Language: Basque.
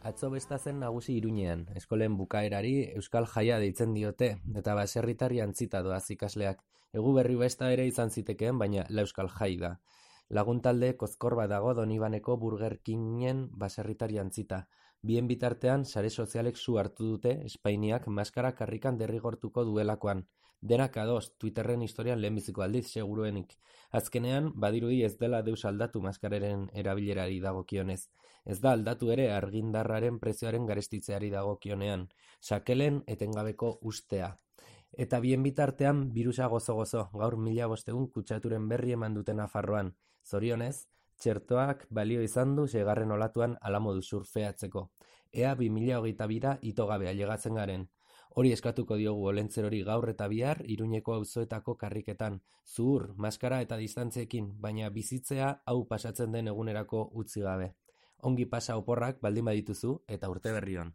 Atzo besta zen nagusi Iruñean, eskolen bukaerari Euskal Jaia deitzen diote, eta baserritar jantzita doaz ikasleak. Eguberri besta ere izan zitekeen, baina la Euskal Jai da. Laguntalde kozkor bat dago Donibaneko Burger Kingen baserritar jantzita. Bien bitartean, sare sozialek su hartu dute Espainiak maskara karrikan derrigortuko duelakoan. Denak ados, Twitterren historian lehenbiziko aldiz seguruenik. Azkenean, badirudi ez dela deus aldatu maskararen erabilerari dagokionez. Ez da aldatu ere argindarraren prezioaren garestitzeari dagokionean. Sakelen etengabeko ustea. Eta bien bitartean, birusa gozo-gozo, gaur 1500 kutsaturen berri eman dute Nafarroan. Zorionez, txertoak balio izan du seigarren olatuan hala modu surfeatzeko. Ea 2022ra itogabe ailegatzen garen. Hori eskatuko diogu Olentzerori gaur eta bihar Iruñeko auzoetako karriketan. Zuhur, maskara eta distantziekin, baina bizitzea hau pasatzen den egunerako utzi gabe. Ongi pasa oporrak baldin badituzu eta urte berri on.